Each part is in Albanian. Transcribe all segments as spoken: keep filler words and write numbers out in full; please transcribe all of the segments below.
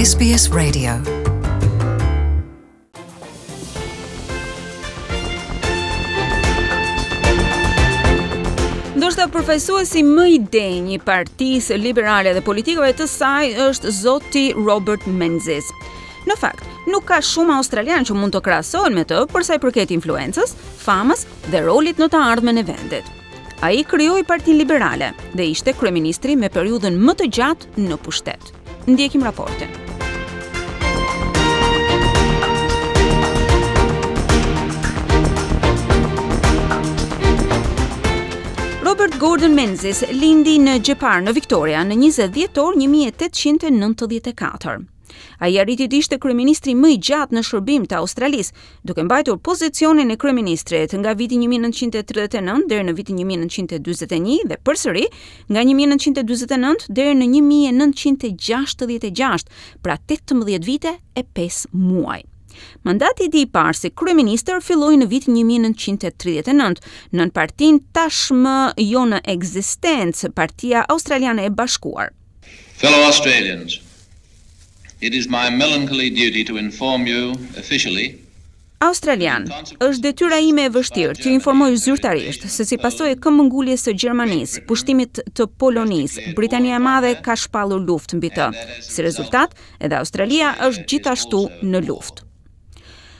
S B S Radio. Ndoshta përfaqësuesi më i denjë i Partisë Liberale dhe politikave të saj është zoti Robert Menzies. Në fakt, nuk ka shumë australian që mund të krahasohen me të për sa i përket influencës, famës dhe rolit në të ardhmen e vendit. Ai krijoi Partinë Liberale dhe ishte kryeministri me periudhën më të gjatë në pushtet. Ndjekim raportin. Robert Gordon Menzies lindi në Jeparit në Victoria në njëzet dhjetor një mijë e tetëqind e nëntëdhjetë e katër. Ai arriti të ishte kryeministri më i gjatë në shërbim të Australisë, duke mbajtur pozicionin e kryeministrit nga viti një mijë e nëntëqind e tridhjetë e nëntë deri në vitin një mijë e nëntëqind e dyzet e një dhe përsëri nga një mijë e nëntëqind e dyzet e nëntë deri në një mijë e nëntëqind e gjashtëdhjetë e gjashtë, pra tetëmbëdhjetë vite e pesë muaj. Mandati i tij i parë si kryeministër filloi në vitin një mijë e nëntëqind e tridhjetë e nëntë nën partinë tashmë jo në ekzistencë, Partia Australiane e Bashkuar. Fellow Australians, it is my melancholy duty to inform you officially Australian, është detyra ime e vështirë t'ju informoj zyrtarisht se si pasojë e këmbënguljes së Gjermanisë, pushtimit të Polonisë, Britania e Madhe ka shpallur luftë mbi të. Si rezultat, edhe Australia është gjithashtu në luftë.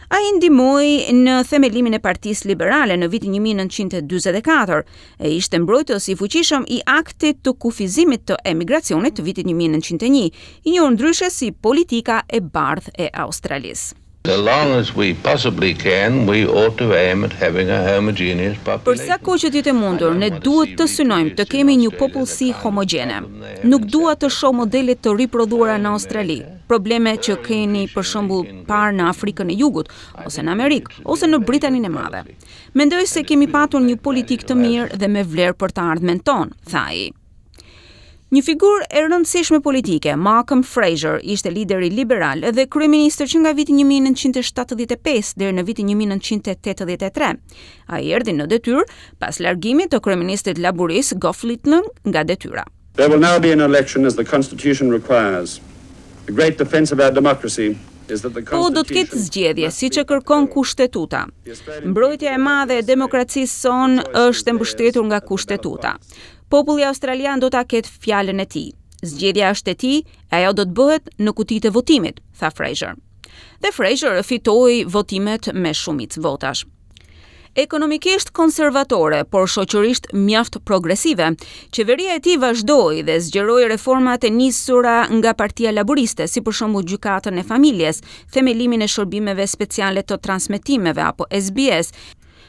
Ai ndihmoi në themelimin e Partisë Liberale në vitin një mijë e nëntëqind e dyzet e katër e ishte mbrojtës i fuqishëm i aktit të kufizimit të emigracionit të vitit një mijë e nëntëqind e një, i njohur ndryshe si politika e bardhë e Australisë. As long as we possibly can, we ought to aim at having a homogeneous Për population. sa kohë që të jetë e mundur, ne duhet të synojmë të kemi një popullsi homogjene. Nuk dua të shoh modele të riprodhuara në Australi, probleme që keni për shembull parë në Afrikën e Jugut, ose në Amerikë, ose në Britaninë e Madhe. Mendoj se kemi patur një politikë të mirë dhe me vlerë për të ardhmen tonë, tha ai. Një figurë e rëndësishme politike, Malcolm Fraser, ishte lideri liberal dhe kryeministër që nga viti një mijë e nëntëqind e shtatëdhjetë e pesë deri në vitin një mijë e nëntëqind e tetëdhjetë e tre. Ai erdhi në detyrë pas largimit të kryeministrit laburist Gough Whitlam nga detyra. There will now be an election as the Constitution requires. The great defense of our democracy is that the Po do të ketë Constitution zgjedhje, siç e kërkon kushtetuta. Mbrojtja e madhe e demokracisë sonë është e mbështetur nga kushtetuta. Populli australian do ta ketë fjalën e tij. Zgjedhja është e tij, e ajo do të bëhet në kutitë e votimit, tha Fraser. Dhe Fraser fitoi votimet me shumicë votash. Ekonomikisht konservatore, por shoqërisht mjaft progresive, qeveria e tij vazhdoi dhe zgjeroi reformat e nisura nga Partia Laboriste, si për shembull gjykatën e familjes, themelimin e shërbimeve speciale të transmetimeve apo S B S,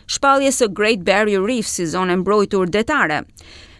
shpalljes së Great Barrier Reef si zonë e mbrojtur detare.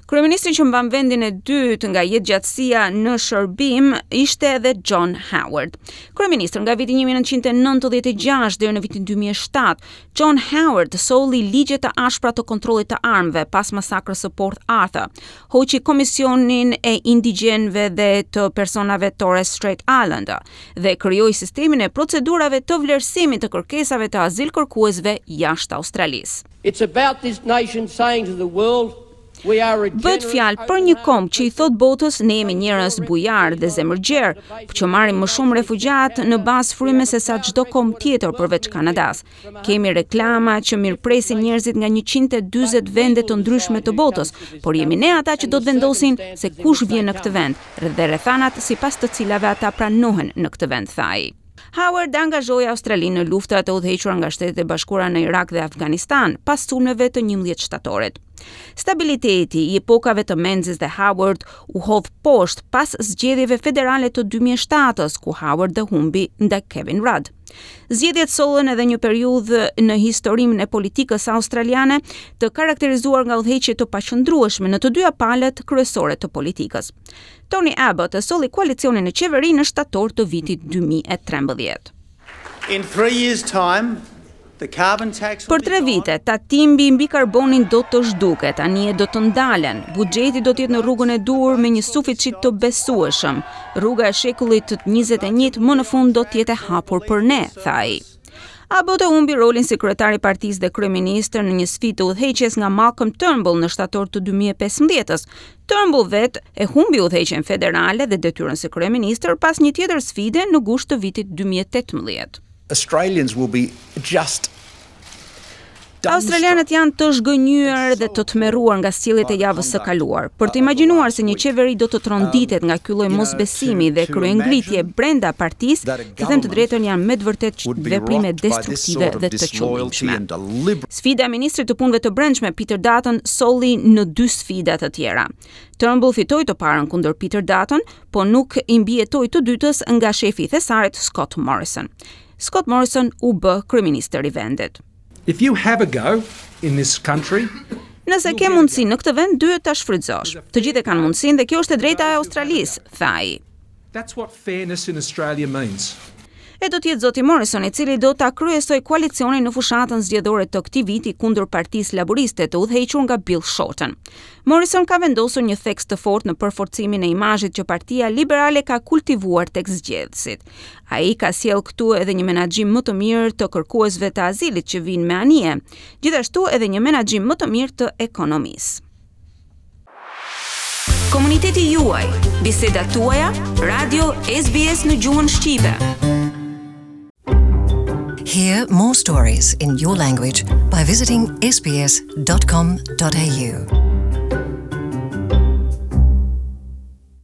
Kryeministri që mban vendin e dytë nga jetëgjatësia në shërbim ishte edhe John Howard. Kryeministër nga viti një mijë e nëntëqind e nëntëdhjetë e gjashtë deri në vitin dy mijë e shtatë, John Howard solli ligje të ashpra të kontrollit të armëve pas masakrës së Port Arthur, hoqi komisionin e indigjenëve dhe të personave Torres Strait Islander dhe krijoi sistemin e procedurave të vlerësimit të kërkesave të azil kërkuesve jashtë Australisë. It's about this nation saying to the world, we are a Bëhet fjalë për një komb që i thot botës ne jemi njerëz bujar dhe zemërgjerë, që marrim më shumë refugjat në bazë fryme se sa çdo komb tjetër përveç Kanadas. Kemi reklama që mirëpresin njerëzit nga njëqind e dyzet vende të ndryshme të botës, por jemi ne ata që do të vendosin se kush vjen në këtë vend dhe rrethanat sipas të cilave ata pranohen në këtë vend, tha ai. Howard angazhoi Australinë në luftrat e udhëhequra nga Shtetet e Bashkuara në Irak dhe Afganistan pas sulmeve të njëmbëdhjetë shtatorit. Stabiliteti i epokave të Menzies dhe Howard u hodh poshtë pas zgjedhjeve federale të dy mijë e shtatës, ku Howard dhe humbi ndaj Kevin Rudd. Zgjedhjet sollën edhe një periudhë në historinë e politikës australiane të karakterizuar nga udhëheqje të paqëndrueshme në të dyja palët kryesore të politikës. Tony Abbott e solli koalicionin në qeveri në shtator të vitit dy mijë e trembëdhjetë. In three years' time, the carbon tax will Për tre be gone. vite, tatimi mbi karbonin do të zhduket, anijet do të ndalen, buxheti do të jetë në rrugën e duhur me një suficit të besueshëm. Rruga e shekullit të njëzet e një më në fund do të jetë e hapur për ne, tha ai. Abbott e humbi rolin si kryetar i partisë dhe kryeministër në një sfidë të udhëheqjes nga Malcolm Turnbull në shtator të dy mijë e pesëmbëdhjetës. Turnbull vet e humbi udhëheqjen federale dhe detyrën si kryeministër pas një tjetër sfide në gusht të vitit dy mijë e tetëmbëdhjetë. Australians will be just Australianët janë të zhgënjyer dhe të tmerruar nga sjelljet e javës së kaluar. Për të imagjinuar se një qeveri do të tronditet nga ky lloj mosbesimi dhe kryengritje brenda partisë, të them të drejtën, janë me të vërtetë veprime destruktive dhe të qëllimshme. Sfida e ministrit të punëve të brendshme Peter Dutton solli në dy sfida të tjera. Turnbull fitoi të parën kundër Peter Dutton, po nuk i mbijetoi të dytës nga shefi i thesarit Scott Morrison. Scott Morrison u bë kryeministër i vendit. If you have a go in this country, Nëse ke mundësi në këtë vend, duhet ta shfrytëzosh. Të gjithë e kanë mundësinë dhe kjo është e drejta e Australisë, tha ai. That's what fairness in Australia means. E do të jetë zoti Morrison i cili do ta kryesoj koalicionin në fushatën zgjedhore të këtij viti kundër Partisë Laboriste të udhëhequr nga Bill Shorten. Morrison ka vendosur një theks të fortë në përforcimin e imazhit që Partia Liberale ka kultivuar tek zgjedhësit. Ai ka sjellë këtu edhe një menaxhim më të mirë të kërkuesve të azilit që vinë me anije, gjithashtu edhe një menaxhim më të mirë të ekonomisë. Komuniteti juaj, bisedat tuaja, Radio S B S në gjuhën shqipe. Hear more stories in your language by visiting S B S dot com dot A U.